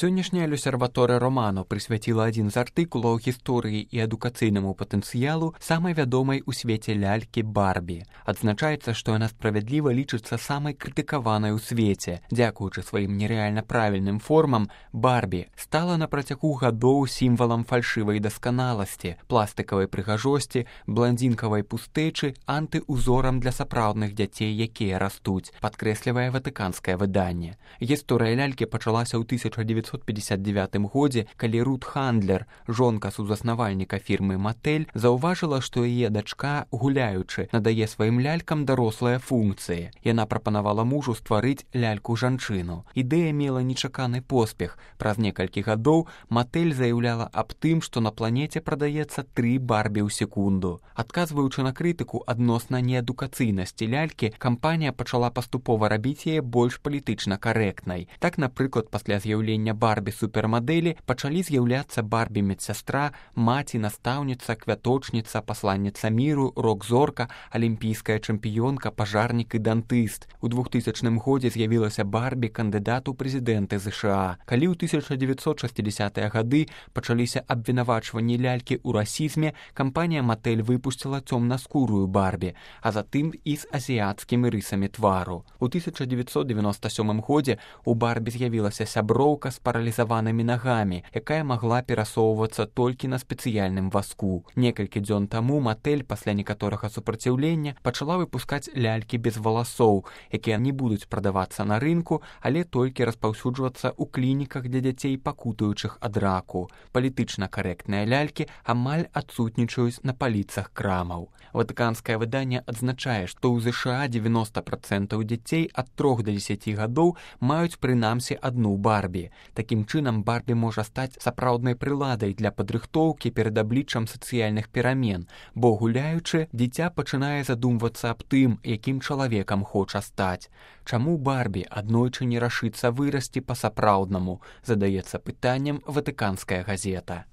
Сённяшняя L'Osservatore Romano прысвяціла адзін з артыкулаў гісторыі і адукацыйнаму патэнцыялу самай вядомай у свеце лялькі Барбі. Адзначаецца, што яна справядліва лічыцца самай крытыкаванай у свеце. Дзякуючы сваім нерэальна правільным формам, Барбі стала на працягу гадоў сімвалам фальшывай дасканаласці, пластыкавай прыгажосці, бландзінкавай пустэчы, антыузорам для сапраўдных дзяцей, якія растуць, падкрэслівае ватыканскае выданне. Гісторыя лялькі пачалася ў 1959 годзе, калі Рут Хандлер, жонка сузаснавальніка фірмы Маттэль, заўважыла, што яе дачка, гуляючы, надае сваім лялькам дарослыя функцыі. Яна прапанавала мужу стварыць ляльку-жанчыну. Ідэя мела нечаканы поспех. Праз некалькі гадоў Маттэль заяўляла аб тым, што на планеце прадаецца 3 Барбі ў секунду. Адказваючы на крытыку адносна неадукацыйнасці лялькі, кампанія пачала паступова рабіць яе больш палітычна карэктнай. Так, напрыклад, пасля з'яўлення Барбі-супермадэлі пачалі з'яўляцца Барбі-медсястра, маці, настаўніца, квяточніца, пасланніца міру, рок-зорка, алімпійская чэмпіёнка, пажарнік і дантыст. У 2000 годзе з'явілася Барбі, кандыдат у прэзідэнты ЗША. Калі ў 1960-е гады пачаліся абвінавачванні лялькі ў расізме, кампанія Маттэль выпусціла цёмнаскурую Барбі, а затым і з азіяцкімі рысамі твару. У 1997 годзе у Барбі з'явілася сяброўка з паралізаванымі нагамі, якая магла перасоўвацца толькі на спецыяльным вазку. Некалькі дзён таму Маттэль пасля некаторага супраціўлення пачала выпускаць лялькі без валасоў, якія не будуць прадавацца на рынку, але толькі распаўсюджвацца ў клініках для дзяцей, пакутуючых ад раку. Палітычна карэктныя лялькі амаль адсутнічаюць на паліцах крамаў. Ватыканскае выданне адзначае, што ў ЗША 90% дзяцей ад 3 до 10 гадоў маюць прынамсі адну Барбі. Такім чынам, Барбі можа стаць сапраўднай прыладай для падрыхтоўкі перад абліччам сацыяльных перамен, бо, гуляючы, дзіця пачынае задумвацца аб тым, якім чалавекам хоча стаць. Чаму Барбі аднойчы не рашыцца вырасці па-сапраўднаму, задаецца пытаннем ватыканская газета.